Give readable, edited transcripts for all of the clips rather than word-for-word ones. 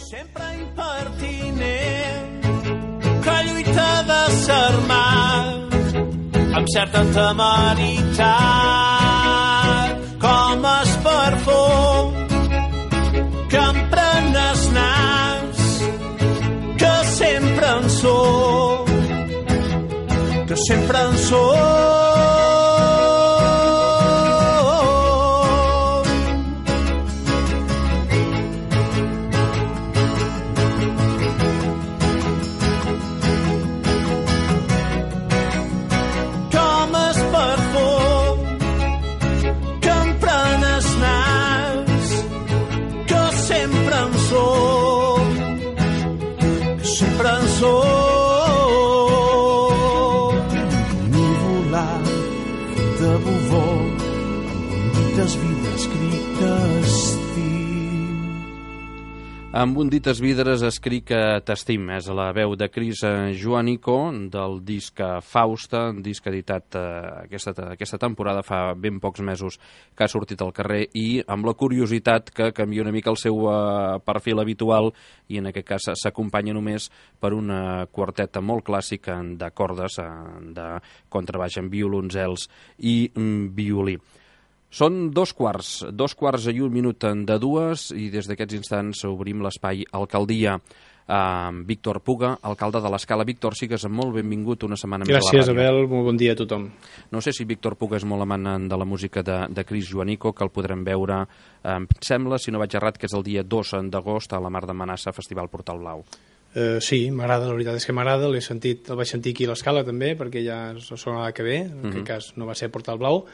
sempre impertinent, que lluita de s'armar amb certa temeritat, com es perfum que emprenes nas, que sempre en sóc, que sempre en sóc. Amb un dites vidres escric que t'estim. És la veu de Chris Joanico del disc Fausta, un disc editat aquesta temporada, fa ben pocs mesos que ha sortit al carrer, i amb la curiositat que canvia una mica el seu perfil habitual, i en aquest cas s'acompanya només per una quarteta molt clàssica de cordes, de contrabaix amb violoncels i violí. Són 2:15 i 1 minut de 2, i des d'aquests instants obrim l'espai Alcaldia. Víctor Puga, alcalde de l'Escala. Víctor, sigues molt benvingut una setmana més a la ràdio. Gràcies, Abel, molt bon dia a tothom. No sé si Víctor Puga és molt amant de la música de Chris Joanico, que el podrem veure, em sembla, si no vaig errat, que és el dia 2 d'agost a la Mar de Manassa, Festival Portal Blau. Sí, m'agrada, la veritat és que m'agrada, el vaig sentir aquí a l'Escala també, perquè ja sonava que bé, en aquest cas no va ser Portal Blau,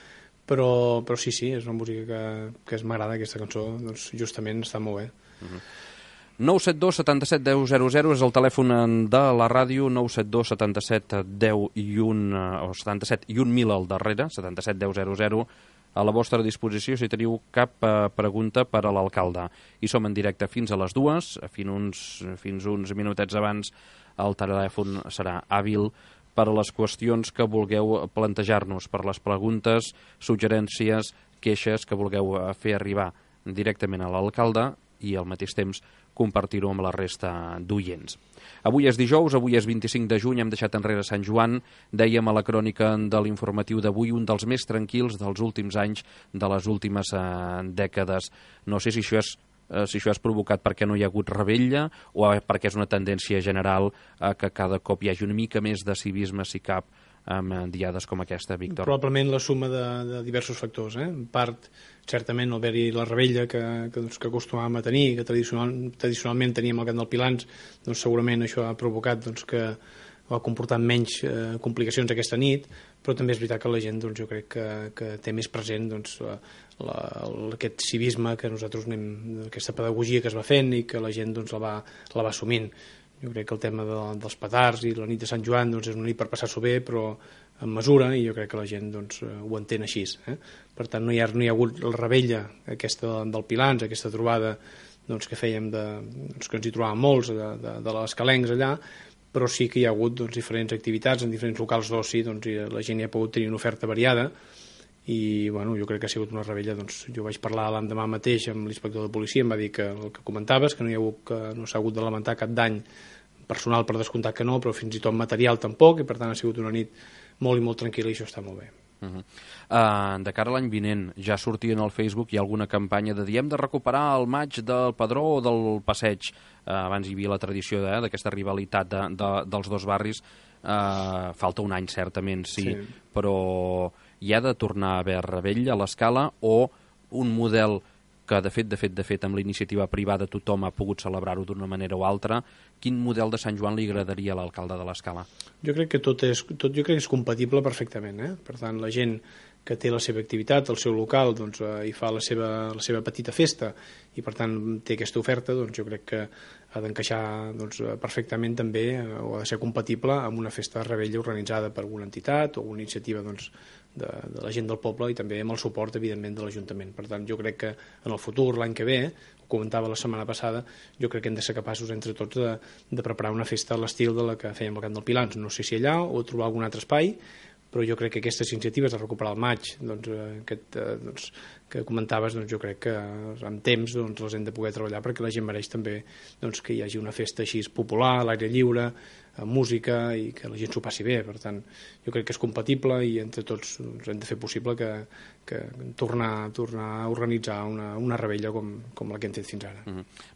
però sí, és una música que m'agrada, aquesta cançó, doncs justament està molt bé. 972 77 10 00 és el telèfon de la ràdio, 972 77 10 i 1, o 77 i 1.000 al darrere, 77 10 00, a la vostra disposició si teniu cap pregunta per a l'alcalde. I som en directe fins a les 2, fins uns minutets abans el telèfon serà hàbil per a les qüestions que vulgueu plantejar-nos, per les preguntes, suggerències, queixes que vulgueu fer arribar directament a l'alcalde i al mateix temps compartir-ho amb la resta d'oients. Avui és dijous, avui és 25 de juny, hem deixat enrere Sant Joan. Dèiem a la crònica de l'informatiu d'avui un dels més tranquils dels últims anys, de les últimes dècades. No sé si això és provocat perquè no hi ha hagut revetlla o perquè és una tendència general que cada cop hi hagi una mica més de civisme, si cap, amb diades com aquesta, Víctor. Probablement la suma de diversos factors. En part, certament, al haver-hi la revetlla que acostumàvem a tenir, que tradicionalment teníem al Camp del Pilans, doncs segurament això ha provocat que ha comportat menys complicacions aquesta nit, però també és veritat que la gent, jo crec que té més present aquest civisme que nosaltres aquesta pedagogia que es va fent i que la gent la va assumint. Jo crec que el tema dels petards i la nit de Sant Joan és una nit per passar-s'ho bé, però amb mesura, i jo crec que la gent ho entén així. Per tant, no hi ha hagut la revetlla aquesta del Pilans, aquesta trobada que fèiem, que ens hi trobàvem molts, de les calencs allà, però sí que hi ha hagut diferents activitats en diferents locals d'oci, i la gent hi ha pogut tenir una oferta variada, i jo crec que ha sigut una revetlla. Jo vaig parlar l'endemà mateix amb l'inspector de policia, em va dir que el que comentaves, que no s'ha hagut de lamentar cap dany personal, per descomptat que no, però fins i tot material tampoc, i per tant ha sigut una nit molt i molt tranquil·la, i això està molt bé. De cara a l'any vinent, ja sortien al Facebook, hi ha alguna campanya de dir hem de recuperar el maig del Padró o del Passeig. Abans hi havia la tradició d'aquesta rivalitat dels dos barris. Falta un any, certament, sí, però hi ha de tornar a haver revetlla a l'Escala, o un model que de fet amb la iniciativa privada tothom ha pogut celebrar-ho d'una manera o altra. Quin model de Sant Joan li agradaria a l'alcalde de l'Escala? Jo crec que tot és compatible perfectament. Per tant, la gent que té la seva activitat, el seu local, hi fa la seva petita festa, i per tant té aquesta oferta, jo crec que ha d'encaixar perfectament també, o ha de ser compatible amb una festa de revetlla organitzada per alguna entitat o alguna iniciativa de la gent del poble, i també amb el suport, evidentment, de l'Ajuntament. Per tant, jo crec que en el futur, l'any que ve, ho comentava la setmana passada, jo crec que hem de ser capaços entre tots de preparar una festa a l'estil de la que fèiem al Camp del Pilans. No sé si allà o trobar algun altre espai, però jo crec que aquestes iniciatives de recuperar el maig, que comentaves, doncs jo crec que amb temps doncs, les hem de poder treballar perquè la gent mereix també doncs, que hi hagi una festa així popular, a l'aire lliure, amb música i que la gent s'ho passi bé. Per tant, jo crec que és compatible i entre tots doncs, hem de fer possible que tornar a organitzar una revetlla com la que hem fet fins ara.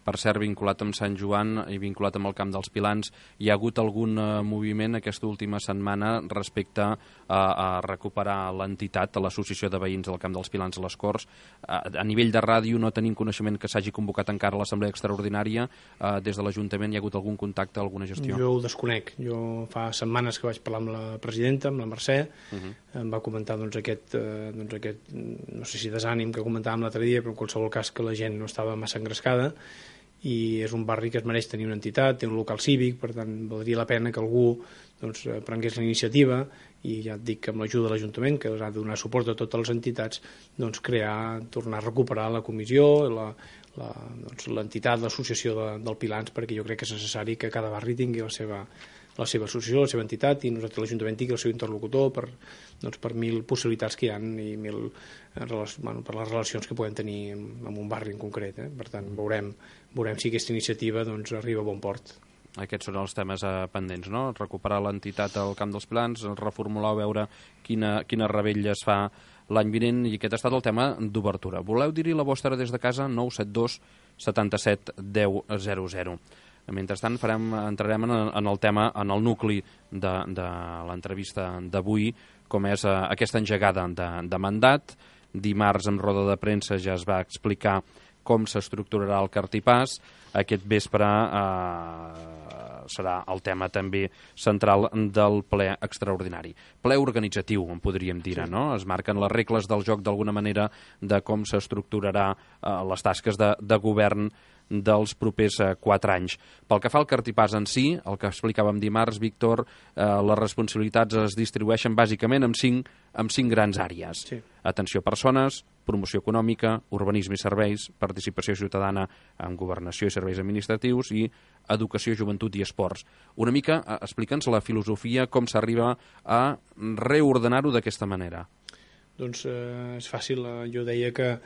Per cert, vinculat amb Sant Joan i vinculat amb el Camp dels Pilans, hi ha hagut algun moviment aquesta última setmana respecte a recuperar l'entitat, a l'Associació de Veïns del Camp dels Pilans a les Corts? A nivell de ràdio no tenim coneixement que s'hagi convocat encara l'Assemblea Extraordinària. Des de l'Ajuntament hi ha hagut algun contacte, alguna gestió? Jo ho desconec. Jo fa setmanes que vaig parlar amb la presidenta, amb la Mercè, em va comentar doncs, aquest no sé si desànim que comentàvem l'altre dia, però en qualsevol cas que la gent no estava massa engrescada, i és un barri que es mereix tenir una entitat, té un local cívic, per tant valdria la pena que algú doncs, prengués la iniciativa, i ja et dic que amb l'ajuda de l'Ajuntament, que ha de donar suport a totes les entitats, doncs tornar a recuperar la comissió, l'entitat, l'associació del Pilans, perquè jo crec que és necessari que cada barri tingui la seva associació, la seva entitat, i nosaltres l'Ajuntament tingui el seu interlocutor per 1.000 possibilitats que hi ha i per les relacions que podem tenir en un barri en concret. Per tant, veurem si aquesta iniciativa doncs, arriba a bon port. Aquests són els temes pendents, no? Recuperar l'entitat al Camp dels Pilans, reformular o veure quina revetlla es fa l'any vinent, i aquest ha estat el tema d'obertura. Voleu dir-hi la vostra des de casa? 972 77 10 00. Mentrestant entrarem en el tema, en el nucli de l'entrevista d'avui, com és aquesta engegada de mandat. Dimarts, en roda de premsa, ja es va explicar com s'estructurarà el cartipàs. Aquest vespre serà el tema també central del ple extraordinari. Ple organitzatiu, en podríem dir, sí. No? Es marquen les regles del joc d'alguna manera de com s'estructurarà les tasques de govern dels propers 4 anys. Pel que fa al cartipàs en si, el que explicàvem dimarts, Víctor, les responsabilitats es distribueixen bàsicament en 5 grans àrees. Sí. Atenció a persones, promoció econòmica, urbanisme i serveis, participació ciutadana en governació i serveis administratius i educació, joventut i esports. Una mica, explica'ns la filosofia, com s'arriba a reordenar-ho d'aquesta manera. Doncs és fàcil. Jo deia que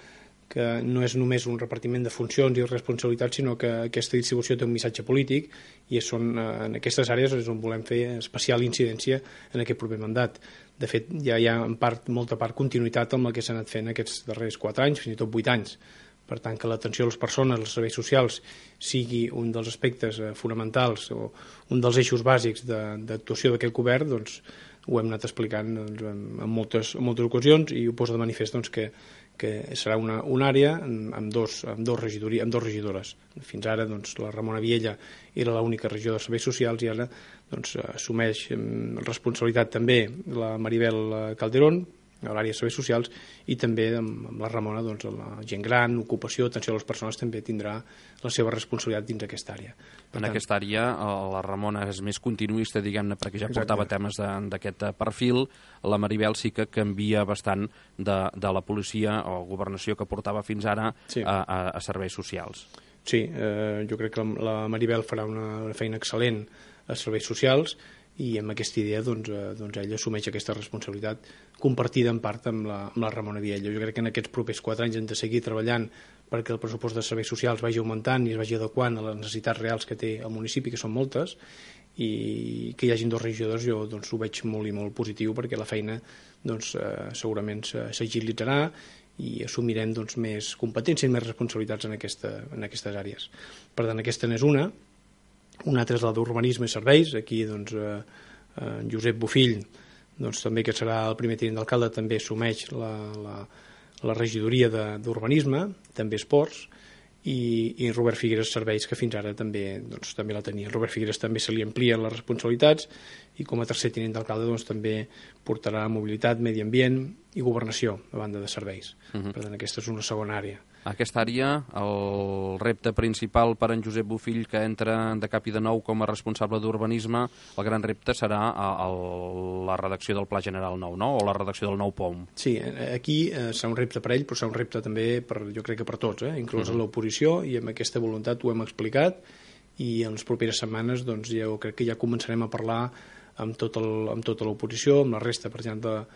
no és només un repartiment de funcions i responsabilitats, sinó que aquesta distribució té un missatge polític, i en aquestes àrees és on volem fer especial incidència en aquest proper mandat. De fet, ja hi ha molta part continuïtat amb el que s'ha anat fent aquests darrers 4 anys, fins i tot 8 anys. Per tant, que l'atenció a les persones, als serveis socials, sigui un dels aspectes fonamentals o un dels eixos bàsics d'actuació d'aquest govern, doncs ho hem anat explicant en moltes ocasions, i ho posa de manifest que serà una àrea amb dos regidores. Fins ara la Ramona Viella era l'única regidora de serveis socials, i ara assumeix responsabilitat també la Maribel Calderón a l'àrea de serveis socials, i també amb la Ramona la gent gran, ocupació, atenció a les persones també tindrà la seva responsabilitat dins aquesta àrea. En aquesta àrea la Ramona és més continuista, diguem-ne, perquè ja portava temes d'aquest perfil. La Maribel sí que canvia bastant de la policia o governació que portava fins ara a serveis socials. Sí, jo crec que la Maribel farà una feina excel·lent a serveis socials, i amb aquesta idea ella assumeix aquesta responsabilitat compartida en part amb la Ramona Viella. Jo crec que en aquests propers 4 anys hem de seguir treballant perquè el pressupost de serveis socials vagi augmentant i es vagi adequant a les necessitats reals que té el municipi, que són moltes, i que hi hagin 2 regidors jo ho veig molt i molt positiu, perquè la feina segurament s'agilitzarà i assumirem més competències i més responsabilitats en aquestes àrees. Per tant, aquesta n'és una. Una altra és la d'urbanisme i serveis. Aquí Josep Bofill, també, que serà el primer tinent d'alcalde, també assumeix la regidoria d'urbanisme, també esports, i Robert Figueres serveis, que fins ara també la tenia. Robert Figueres també se li amplien les responsabilitats, i com a tercer tinent d'alcalde també portarà mobilitat, medi ambient i governació, a banda de serveis. Per tant, aquesta és una segona àrea. Aquesta àrea, el repte principal per en Josep Bofill, que entra de cap i de nou com a responsable d'urbanisme, el gran repte serà la redacció del Pla General nou, no? O la redacció del nou POM. Sí, aquí serà un repte per ell, però serà un repte també, jo crec que per tots, inclús l'oposició, i amb aquesta voluntat ho hem explicat, i en les properes setmanes jo crec que ja començarem a parlar amb tota l'oposició, amb la resta, per exemple,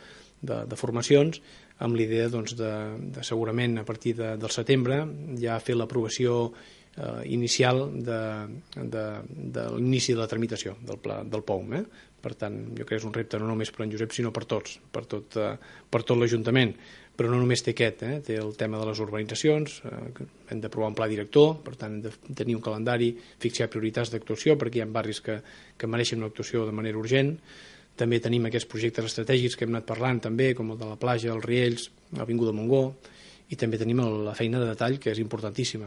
de formacions, amb l'idea doncs, de segurament a partir del setembre ja fer l'aprovació inicial de l'inici de la tramitació del POUM. Per tant, jo crec que és un repte no només per en Josep, sinó per tots, per tot l'Ajuntament. Però no només té aquest, té el tema de les urbanitzacions, hem d'aprovar un pla director, per tant hem de tenir un calendari, fixar prioritats d'actuació, perquè hi ha barris que mereixen una actuació de manera urgent. També tenim aquests projectes estratègics que hem anat parlant també, com el de la platja, els Riells, l'Avinguda Montgó, i també tenim la feina de detall, que és importantíssima,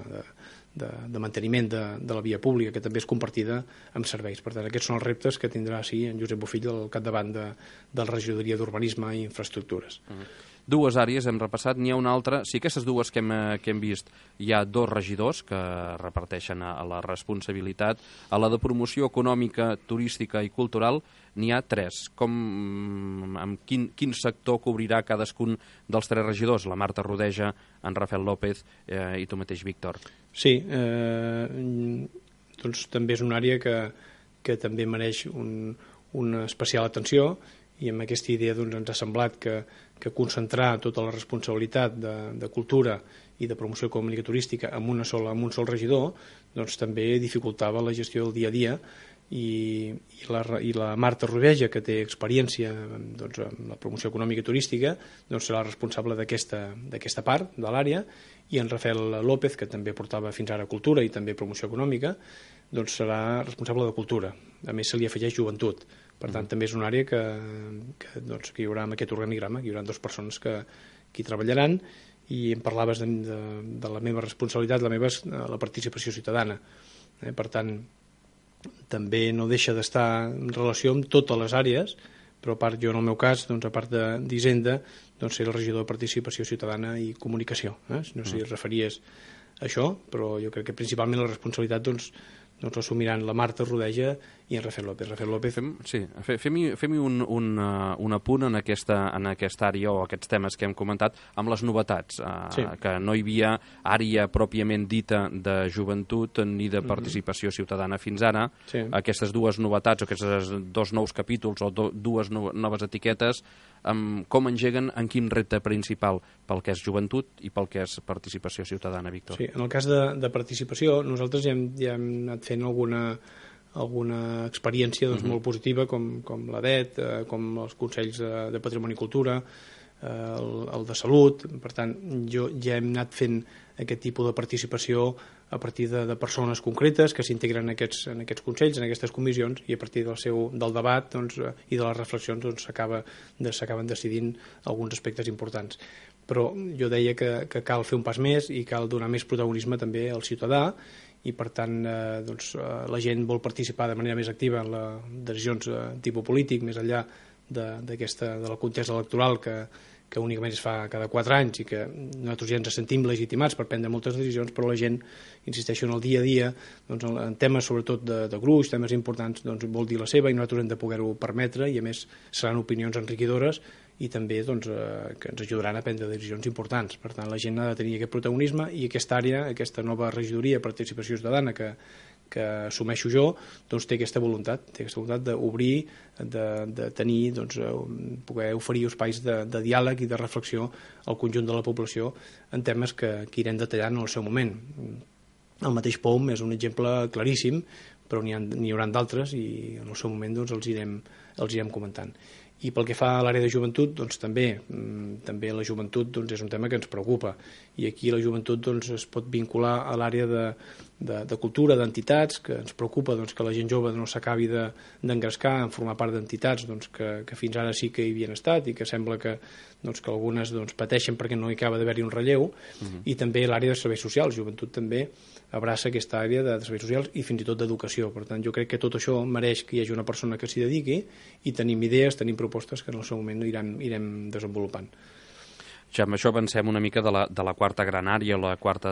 de manteniment de la via pública, que també és compartida amb serveis. Per tant, aquests són els reptes que tindrà en Josep Bofill al capdavant de la regidoria d'Urbanisme i Infraestructures. Dues àrees hem repassat, n'hi ha una altra. Sí, aquestes dues que hem vist, hi ha 2 regidors que reparteixen a la responsabilitat. A la de promoció econòmica, turística i cultural n'hi ha 3. Amb quin sector cobrirà cadascun dels 3 regidors? La Marta Rodeja, en Rafael López i tu mateix, Víctor. Sí, doncs també és una àrea que també mereix una especial atenció, i amb aquesta idea doncs, ens ha semblat que concentrar tota la responsabilitat de cultura i de promoció econòmica turística amb un sol regidor doncs, també dificultava la gestió del dia a dia, i la Marta Rodeja, que té experiència doncs, en la promoció econòmica turística, doncs, serà responsable d'aquesta part de l'àrea, i en Rafael López, que també portava fins ara cultura i també promoció econòmica, doncs serà responsable de cultura. A més, se li afegeix joventut. Per tant, també és una àrea que hi haurà amb aquest organigrama, que hi haurà 2 persones que hi treballaran, i em parlaves de la meva responsabilitat, la participació ciutadana. Per tant, també no deixa d'estar en relació amb totes les àrees, però a part, jo en el meu cas, doncs, a part d'Hisenda, doncs, ser el regidor de Participació Ciutadana i Comunicació. No sé si es referies a això, però jo crec que principalment la responsabilitat doncs assumiran la Marta Rodeja i en Rafael López. Fem-hi un apunt en aquesta àrea o aquests temes que hem comentat amb les novetats, que no hi havia àrea pròpiament dita de joventut ni de participació ciutadana fins ara. Aquestes 2 novetats o aquests 2 nous capítols o 2 noves etiquetes, com engeguen en quin repte principal pel que és joventut i pel que és participació ciutadana, Víctor? Sí, en el cas de participació, nosaltres ja hem anat fent alguna experiència doncs, molt positiva, com l'ADET, com els Consells de Patrimoni i Cultura, el de Salut. Per tant, ja hem anat fent aquest tipus de participació a partir de persones concretes que s'integren en aquests consells, en aquestes comissions, i a partir del debat doncs, i de les reflexions doncs, s'acaben decidint alguns aspectes importants. Però jo deia que cal fer un pas més i cal donar més protagonisme també al ciutadà, i per tant doncs, la gent vol participar de manera més activa en les decisions de tipus polític, més enllà de la contesa electoral que únicament es fa cada 4 anys i que nosaltres ja ens sentim legitimats per prendre moltes decisions, però la gent, insisteixo, en el dia a dia, doncs, en temes sobretot de gruix, temes importants, doncs, vol dir la seva, i nosaltres hem de poder-ho permetre, i a més seran opinions enriquidores i també doncs, que ens ajudaran a prendre decisions importants. Per tant, la gent ha de tenir aquest protagonisme, i aquesta àrea, aquesta nova regidoria de participació ciutadana que assumeixo jo, doncs té aquesta voluntat d'obrir, de tenir, doncs, poder oferir espais de diàleg i de reflexió al conjunt de la població en temes que irem detallant en el seu moment. El mateix POUM és un exemple claríssim, però n'hi haurà d'altres, i en el seu moment doncs, els irem comentant. I pel que fa a l'àrea de joventut, doncs, també la joventut doncs, és un tema que ens preocupa, i aquí la joventut doncs, es pot vincular a l'àrea de cultura, d'entitats, que ens preocupa doncs, que la gent jove no s'acabi d'engrescar en formar part d'entitats doncs, que fins ara sí que hi havien estat, i que sembla que algunes doncs, pateixen perquè no hi acaba d'haver-hi un relleu. I també l'àrea de serveis socials. Joventut també abraça aquesta àrea de serveis socials i fins i tot d'educació. Per tant, jo crec que tot això mereix que hi hagi una persona que s'hi dediqui, i tenim idees, tenim propostes que en el seu moment irem desenvolupant. Ja amb això avancem una mica de la quarta gran àrea, la quarta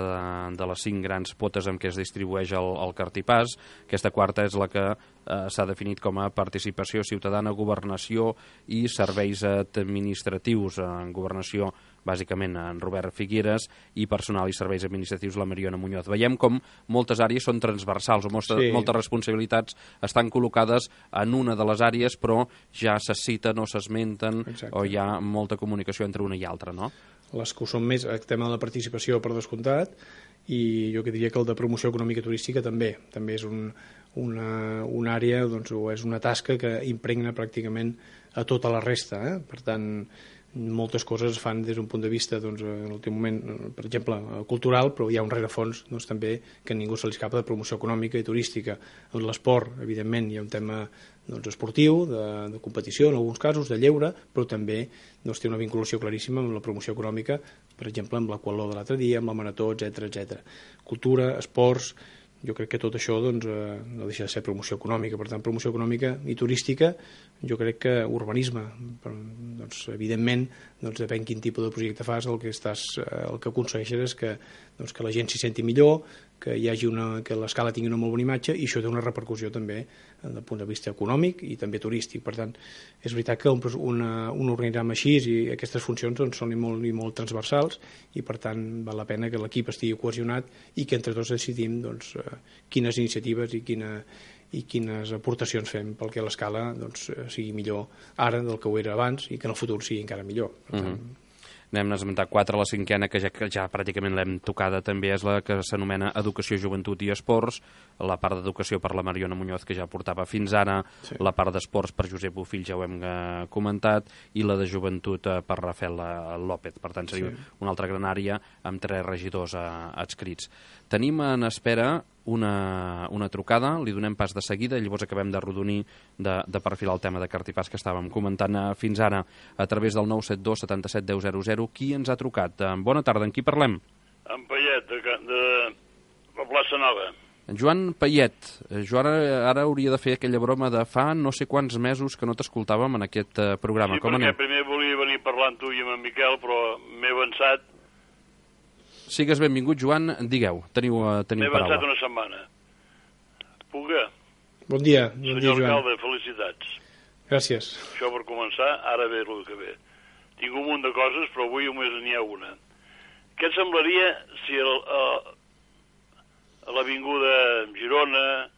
de les 5 grans potes en què es distribueix el cartipàs. Aquesta quarta és la que s'ha definit com a participació ciutadana, governació i serveis administratius. En governació bàsicament en Robert Figueres, i Personal i Serveis Administratius la Mariona Muñoz. Veiem com moltes àrees són transversals, o moltes responsabilitats estan col·locades en una de les àrees, però ja se citen o s'esmenten, o hi ha molta comunicació entre una i altra, no? Les que ho són més, el tema de la participació per descomptat, i jo que diria que el de promoció econòmica turística també és una àrea, doncs, o és una tasca que impregna pràcticament a tota la resta, Per tant, moltes coses es fan des d'un punt de vista, doncs, en l'últim moment, per exemple, cultural, però hi ha un rerefons, doncs, també, que a ningú se li escapa, de promoció econòmica i turística. En l'esport, evidentment, hi ha un tema, doncs, esportiu, de competició, en alguns casos, de lleure, però també, doncs, té una vinculació claríssima amb la promoció econòmica, per exemple, amb l'aquatló de l'altre dia, amb la marató, etc. Cultura, esports, jo crec que tot això, doncs, no deixa de ser promoció econòmica. Per tant, promoció econòmica i turística, jo crec que urbanisme, doncs, evidentment, doncs, depèn quin tipus de projecte fas, el que aconsegueixes és que la gent s'hi senti millor, que hi hagi que l'escala tingui una molt bona imatge, i això té una repercussió també des del punt de vista econòmic i també turístic. Per tant, és veritat que un organigrama així i aquestes funcions, doncs, són molt transversals, i per tant val la pena que l'equip estigui cohesionat i que entre tots decidim, doncs, quines iniciatives i quines aportacions fem perquè l'escala, doncs, sigui millor ara del que ho era abans i que en el futur sigui encara millor. Per tant, n'hem esmentat 4, la 5a, que ja pràcticament l'hem tocada també, és la que s'anomena Educació, Joventut i Esports, la part d'educació per la Mariona Muñoz, que ja portava fins ara, la part d'esports per Josep Bofill, ja ho hem comentat, i la de joventut per Rafael López. Per tant, seria una altra gran àrea amb 3 regidors adscrits. Tenim en espera una trucada, li donem pas de seguida, i llavors acabem d'arrodonir, de perfilar el tema de Cartipàs que estàvem comentant fins ara a través del 972 77 10 00. Qui ens ha trucat? Bona tarda, amb qui parlem? En Payet, de la plaça Nova. Joan Payet, jo ara hauria de fer aquella broma de fa no sé quants mesos que no t'escoltàvem en aquest programa. Sí, perquè primer volia venir parlant tu i amb en Miquel, però m'he avançat. Sigues benvingut, Joan, digueu, teniu paraula. M'he avançat una setmana. Puga? Bon dia, Joan. Senyor alcalde, felicitats. Gràcies. Això per començar, ara ve el que ve. Tinc un munt de coses, però avui només n'hi ha una. Què et semblaria si a l'Avinguda Girona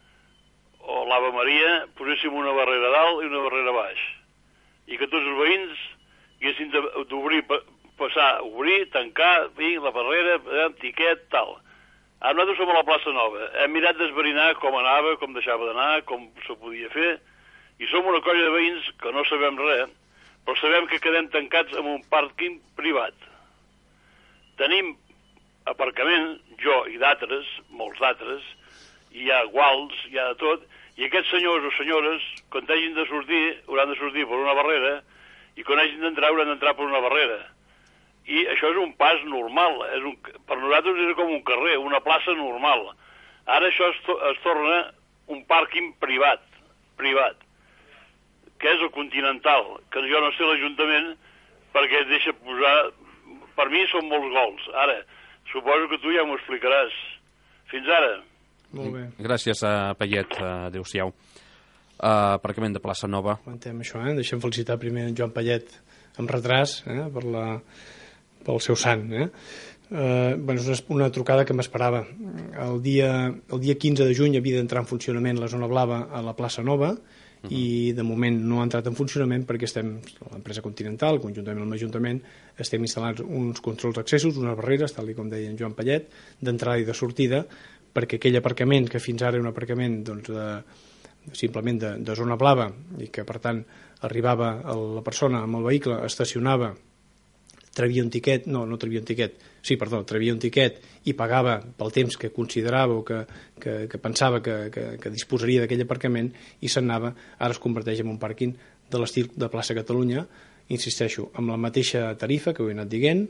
o l'Ave Maria poséssim una barrera dalt i una barrera baix? I que tots els veïns haguessin d'obrir, passar, obrir, tancar, la barrera, tiquet, tal. Ara nosaltres som a la plaça Nova. Hem mirat d'esverinar com anava, com deixava d'anar, com se podia fer, i som una colla de veïns que no sabem res, però sabem que quedem tancats en un pàrquing privat. Tenim aparcament, jo i d'altres, molts d'altres, hi ha guals, hi ha de tot, i aquests senyors o senyores, quan hagin de sortir, hauran de sortir per una barrera, i quan hagin d'entrar, hauran d'entrar per una barrera. I això és un pas normal. Per nosaltres és com un carrer, una plaça normal. Ara això es torna un pàrquing privat, que és el Continental, que jo no sé l'Ajuntament perquè es deixa posar... Per mi són molts gols. Ara, suposo que tu ja m'ho explicaràs. Fins ara. Molt bé. Gràcies, Payet. Adéu-siau. Aparcament de Plaça Nova. Comentem això, Deixem felicitar primer en Joan Payet amb retras, pel seu sant. És una trucada que m'esperava. El dia 15 de juny havia d'entrar en funcionament la zona blava a la plaça Nova, i de moment no ha entrat en funcionament perquè l'empresa Continental, conjuntament amb l'Ajuntament, estem instal·lant uns controls d'accessos, unes barreres, tal com deia en Joan Payet, d'entrada i de sortida, perquè aquell aparcament, que fins ara era un aparcament simplement de zona blava, i que per tant arribava la persona amb el vehicle, estacionava, travia un tiquet i pagava pel temps que considerava o que pensava que disposaria d'aquell aparcament, i se'n anava. Ara es converteix en un pàrquing de l'estil de plaça Catalunya, insisteixo, amb la mateixa tarifa que ho he anat dient,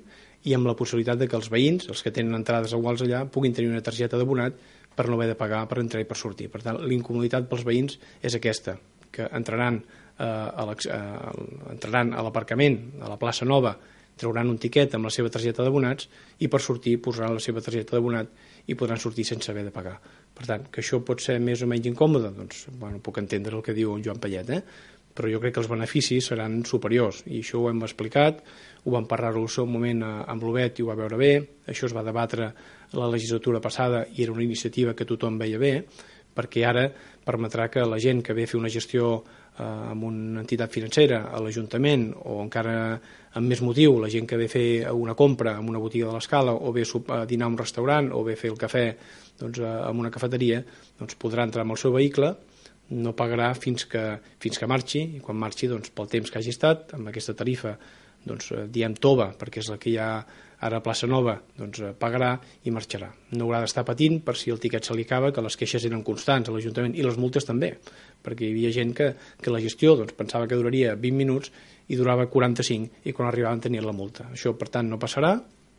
i amb la possibilitat de que els veïns, els que tenen entrades iguals allà, puguin tenir una targeta d'abonat per no haver de pagar per entrar i per sortir. Per tant, l'incomoditat pels veïns és aquesta, que entraran a l'aparcament, a la plaça Nova, trauran un tiquet amb la seva targeta d'abonats, i per sortir posaran la seva targeta d'abonat i podran sortir sense haver de pagar. Per tant, que això pot ser més o menys incòmode, doncs, puc entendre el que diu en Joan Payet, però jo crec que els beneficis seran superiors, i això ho hem explicat, ho vam parlar-ho al seu moment amb l'Obet i ho va veure bé, això es va debatre la legislatura passada i era una iniciativa que tothom veia bé, perquè ara permetrà que la gent que ve a fer una gestió amb una entitat financera a l'Ajuntament, o encara amb més motiu, la gent que ve a fer una compra en una botiga de l'Escala, o ve a dinar a un restaurant, o ve a fer el cafè doncs, en una cafeteria, doncs podrà entrar amb el seu vehicle, no pagarà fins que marxi, i quan marxi, doncs, pel temps que hagi estat, amb aquesta tarifa, doncs, diem tova, perquè és la que hi ha ara a Plaça Nova, doncs pagarà i marxarà. No haurà d'estar patint per si el tiquet se li acaba, que les queixes eren constants a l'Ajuntament, i les multes també, perquè hi havia gent que la gestió doncs, pensava que duraria 20 minuts i durava 45, i quan arribaven tenien la multa. Això, per tant, no passarà,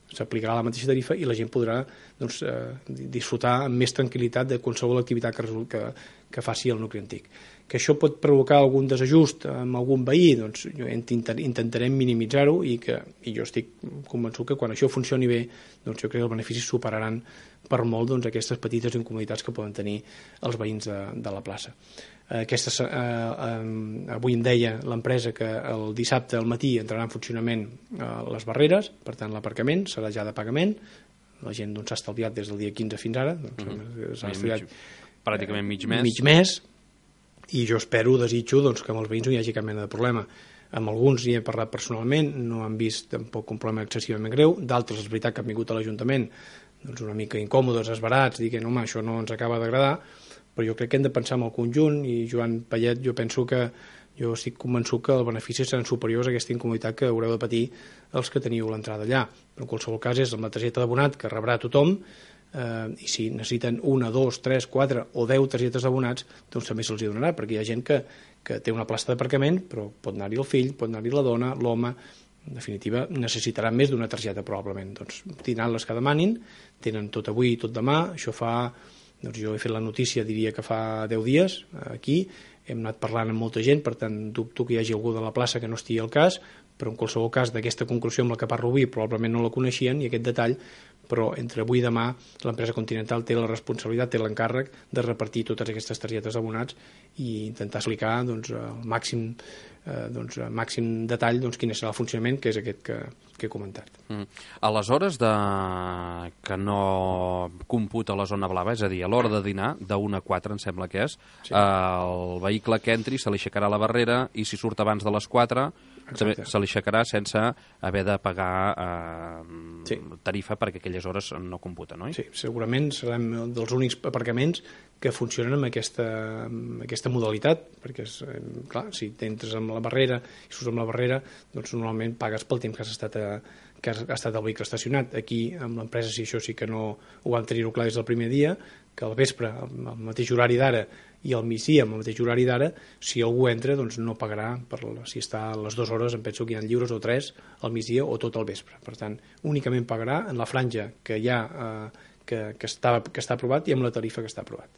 s'aplicarà la mateixa tarifa i la gent podrà doncs, disfrutar amb més tranquil·litat de qualsevol activitat que faci el nucli antic. Que això pot provocar algun desajust amb algun veí, doncs intentarem minimitzar-ho, i jo estic convençut que quan això funcioni bé, doncs jo crec que els beneficis superaran per molt doncs, aquestes petites incomoditats que poden tenir els veïns de la plaça. Avui em deia l'empresa que el dissabte al matí entrarà en funcionament les barreres, per tant l'aparcament serà ja de pagament, la gent s'ha estalviat des del dia 15 fins ara, s'ha estalviat pràcticament mig mes, i jo desitjo que amb els veïns no hi hagi cap mena de problema. Amb alguns hi he parlat personalment, no han vist tampoc un problema excessivament greu, d'altres és veritat que han vingut a l'Ajuntament doncs una mica incòmodes, esbarats, dient home, això no ens acaba d'agradar, però jo crec que hem de pensar en el conjunt, i Joan Payet, jo estic convençut que els beneficis seran superiors a aquesta incomoditat que haureu de patir els que teniu l'entrada allà. Però en qualsevol cas és amb la targeta d'abonat que rebrà tothom, i si necessiten 1, 2, 3, 4 o 10 targetes d'abonats, doncs també se'ls donarà, perquè hi ha gent que té una plaça d'aparcament, però pot anar-hi el fill, pot anar-hi la dona, l'home, en definitiva necessitaran més d'una targeta probablement. Doncs tindran les que demanin, tenen tot avui i tot demà, això fa... Doncs jo he fet la notícia, diria que fa 10 dies, aquí, hem anat parlant amb molta gent, per tant dubto que hi hagi algú de la plaça que no estigui al cas, però en qualsevol cas d'aquesta conclusió amb la que parlo avui probablement no la coneixien, i aquest detall, però entre avui i demà l'empresa Continental té la responsabilitat, té l'encàrrec de repartir totes aquestes targetes d'abonats i intentar explicar doncs, al màxim detall doncs, quin serà el funcionament, que és aquest que he comentat. A les hores que no computa la zona blava, és a dir, a l'hora de dinar, de 1 a 4 em sembla que és, sí. El vehicle que entri se li aixecarà la barrera, i si surt abans de les 4 se li aixecarà sense haver de pagar tarifa, perquè aquelles hores no computen, oi? Sí, segurament serem dels únics aparcaments que funcionen amb aquesta modalitat, perquè clar, si entres amb la barrera i surts amb la barrera, doncs normalment pagues pel temps que ha estat el vehicle estacionat. Aquí, amb l'empresa, si això sí que no ho vam tenir-ho clar des del primer dia, que al vespre, al mateix horari d'ara, i al migdia, amb el mateix horari d'ara, si algú entra, doncs no pagarà, si està a les 2 hores, em penso que hi ha lliures, o 3, al migdia o tot el vespre. Per tant, únicament pagarà en la franja que hi ha, que està aprovat, i amb la tarifa que està aprovat.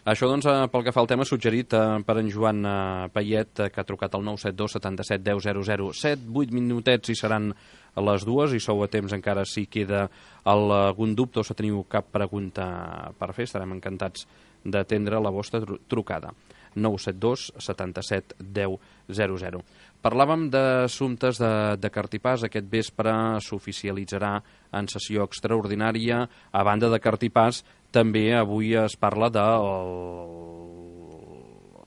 Això, doncs, pel que fa al tema suggerit per en Joan Payet, que ha trucat al 972 77 10 00, 7-8 minutets i seran a les 2, i sou a temps encara si queda algun dubte o si teniu cap pregunta per fer. Estarem encantats d'atendre la vostra trucada. 972 77 10 00. Parlàvem d'assumptes de Cartipàs. Aquest vespre s'oficialitzarà en sessió extraordinària. A banda de Cartipàs, també avui es parla de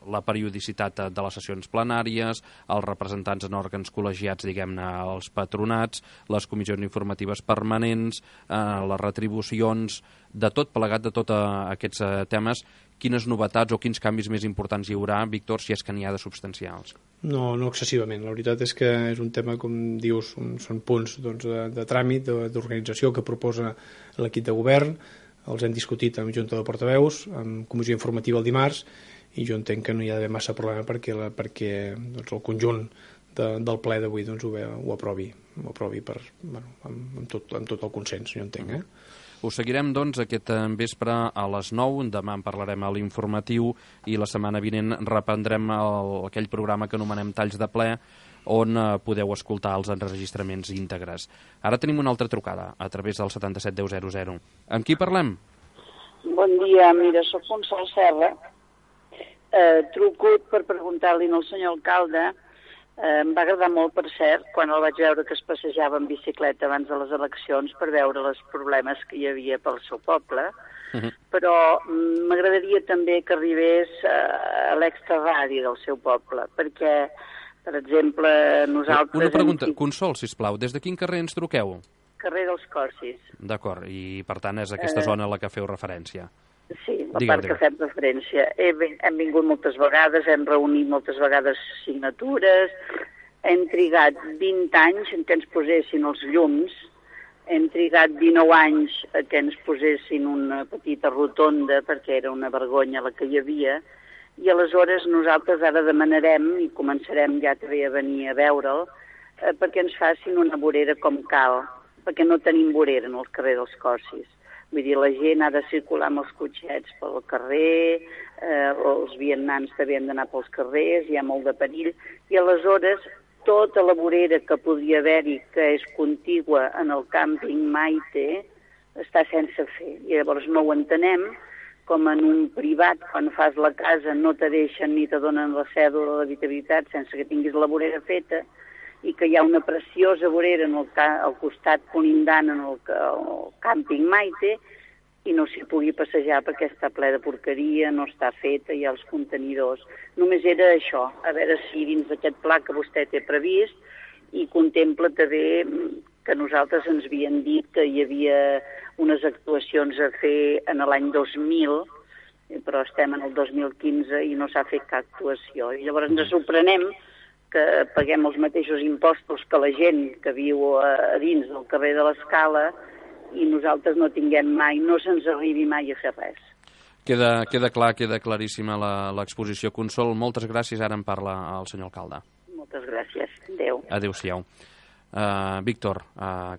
la periodicitat de les sessions plenàries, els representants en òrgans col·legiats, diguem-ne, els patronats, les comissions informatives permanents, les retribucions, de tot plegat, de tots aquests temes. Quines novetats o quins canvis més importants hi haurà, Víctor, si és que n'hi ha de substancials? No excessivament. La veritat és que és un tema, com dius, són punts de tràmit, d'organització que proposa l'equip de govern. Els hem discutit amb Junta de Portaveus, amb comissió informativa el dimarts, i jo entenc que no hi ha d'haver massa problema perquè doncs, el conjunt del ple d'avui doncs, ho aprovi amb tot el consens, jo entenc. Us seguirem, doncs, aquest vespre a les 9. Demà en parlarem a l'informatiu, i la setmana vinent reprendrem aquell programa que anomenem Talls de Ple, on podeu escoltar els enregistraments íntegres. Ara tenim una altra trucada a través del 77 10 00. Amb qui parlem? Bon dia, mira, soc Consol Serra. Truco per preguntar-li al senyor alcalde. Em va agradar molt, per cert, quan el vaig veure que es passejava en bicicleta abans de les eleccions per veure els problemes que hi havia pel seu poble, però m'agradaria també que arribés a l'extraradi del seu poble, perquè, per exemple, nosaltres... Una pregunta, Consol, sisplau, des de quin carrer ens truqueu? Carrer dels Corsis. D'acord, i per tant és aquesta zona a la que feu referència. Sí, la part que fem referència. Hem vingut moltes vegades, hem reunit moltes vegades signatures, hem trigat 20 anys en què ens posessin els llums, hem trigat 19 anys que ens posessin una petita rotonda, perquè era una vergonya la que hi havia, i aleshores nosaltres ara demanarem, i començarem ja també a venir a veure'l, perquè ens facin una vorera com cal, perquè no tenim vorera en el carrer dels Corsis. Vull dir, la gent ha de circular amb els cotxets pel carrer, els vianants també han d'anar pels carrers, hi ha molt de perill, i aleshores tota la vorera que podria haver-hi, que és contigua en el càmping Maite, està sense fer. I llavors no ho entenem, com en un privat, quan fas la casa, no te deixen ni te donen la cèdula d'habitabilitat sense que tinguis la vorera feta, i que hi ha una preciosa vorera al costat conindant en el càmping Maite i no s'hi pugui passejar perquè està ple de porqueria, no està feta, hi ha els contenidors. Només era això, a veure si dins d'aquest pla que vostè té previst i contempla també que nosaltres ens havien dit que hi havia unes actuacions a fer en l'any 2000, però estem en el 2015 i no s'ha fet cap actuació. I llavors ens sorprenem que paguem els mateixos impostos que la gent que viu a dins del carrer de l'Escala i nosaltres no tinguem mai, no se'ns arribi mai a fer res. Queda clar, queda claríssima l'exposició. Consol, moltes gràcies. Ara en parla el senyor alcalde. Moltes gràcies. Adéu. Adéu-siau. Víctor,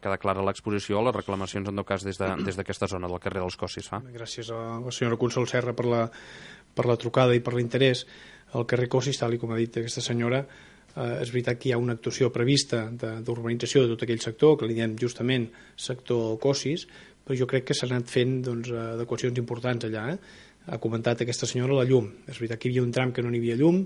queda clara l'exposició, les reclamacions en tot cas des d'aquesta zona del carrer dels Corsis fa. Gràcies a la senyora Consol Serra per la trucada i per l'interès. Al carrer Corsis, tal com ha dit aquesta senyora, és veritat que hi ha una actuació prevista d'urbanització de tot aquell sector, que li diem justament sector Corsis, però jo crec que s'han anat fent adequacions importants allà. Ha comentat aquesta senyora la llum. És veritat que hi havia un tram que no n'hi havia llum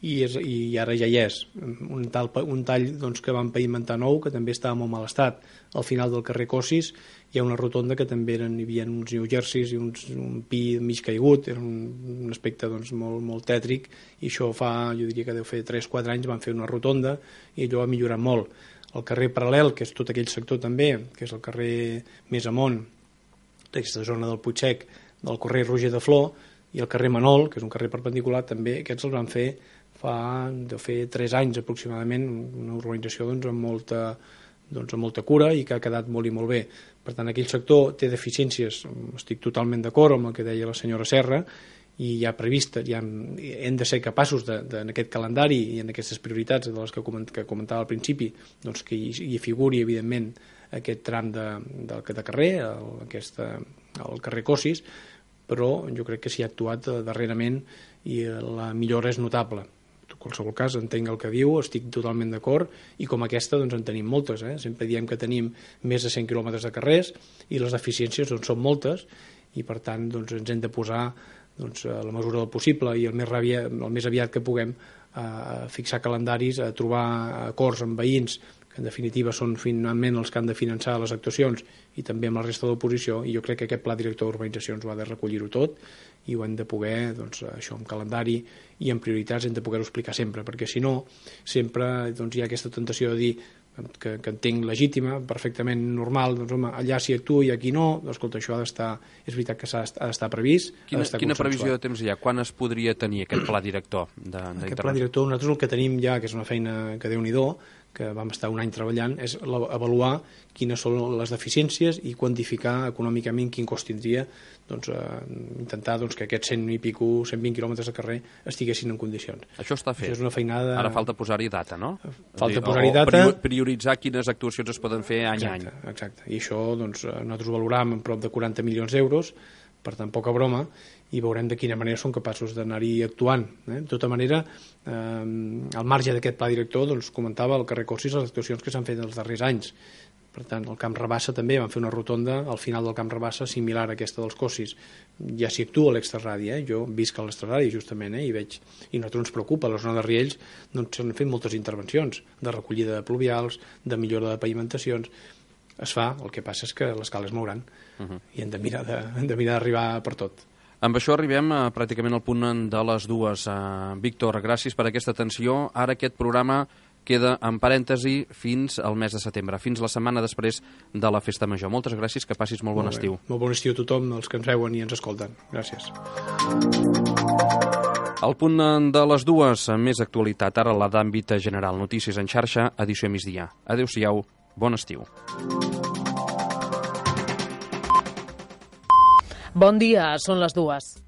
i ara ja hi és. Un tall que van pavimentar nou, que també estava en molt mal estat. Al final del carrer Corsis hi ha una rotonda que també hi havia uns New Jerseys i un pi mig caigut, era un aspecte molt tètric, i això jo diria que deu fer 3-4 anys van fer una rotonda i allò ha millorat molt. El carrer paral·lel, que és tot aquell sector també, que és el carrer més amunt d'aquesta zona del Puigsec, del carrer Roger de Flor, i el carrer Manol, que és un carrer perpendicular, també aquests els van fer deu fer 3 anys aproximadament, una urbanització amb molta cura i que ha quedat molt i molt bé. Per tant, aquell sector té deficiències, estic totalment d'acord amb el que deia la senyora Serra, i hi ha previst, hem de ser capaços en aquest calendari i en aquestes prioritats de les que comentava al principi, que hi figuri evidentment aquest tram de carrer, el carrer Corsis, però jo crec que s'hi ha actuat darrerament i la millora és notable. En qualsevol cas, entenc el que diu, estic totalment d'acord, i com aquesta en tenim moltes. Sempre diem que tenim més de 100 quilòmetres de carrers i les deficiències són moltes, i per tant ens hem de posar a la mesura del possible i el més aviat que puguem a fixar calendaris, a trobar acords amb veïns, que en definitiva són finalment els que han de finançar les actuacions, i també amb la resta de l'oposició, i jo crec que aquest pla director d'urbanitzacions ho ha de recollir-ho tot, i ho hem de poder, això, amb calendari i amb prioritats, hem de poder-ho explicar sempre, perquè si no, sempre hi ha aquesta tentació de dir que entenc legítima, perfectament normal, allà s'hi actua i aquí no, escolta, això és veritat que ha d'estar previst. Quina previsió de temps hi ha? Quan es podria tenir aquest pla director? Aquest pla director, nosaltres el que tenim ja, que és una feina que Déu-n'hi-do, que vam estar un any treballant, és avaluar quines són les deficiències i quantificar econòmicament quin cost tindria intentar que aquests 120 quilòmetres de carrer estiguessin en condicions. Això està fet. Això és una feinada... Ara falta posar-hi data, no? Falta posar-hi data... Prioritzar quines actuacions es poden fer any a any. Exacte. I això nosaltres ho valoràvem en prop de 40 milions d'euros, per tant, poca broma, i veurem de quina manera són capaços d'anar-hi actuant. De tota manera, al marge d'aquest pla director, comentava al carrer Corsis les actuacions que s'han fet els darrers anys. Per tant, el Camp Rabassa també vam fer una rotonda al final del Camp Rabassa similar a aquesta dels Cossis. Ja s'hi actua a l'Extraradi, jo visc a l'Extraradi justament, i veig, i a nosaltres ens preocupa, a la zona de Riells doncs s'han fet moltes intervencions de recollida de pluvials, de millora de pavimentacions. Es fa, el que passa és que les cales mouran i hem de mirar d'arribar per tot. Amb això arribem pràcticament al punt de les 2. Víctor, gràcies per aquesta atenció. Ara aquest programa queda en parèntesi fins al mes de setembre, fins la setmana després de la Festa Major. Moltes gràcies, que passis molt bon estiu. Molt bon estiu a tothom, els que ens veuen i ens escolten. Gràcies. Al punt de les 2, més actualitat, ara la d'àmbit general. Notícies en xarxa, edició migdia. Adéu-siau, bon estiu. Bon dia, són les 2.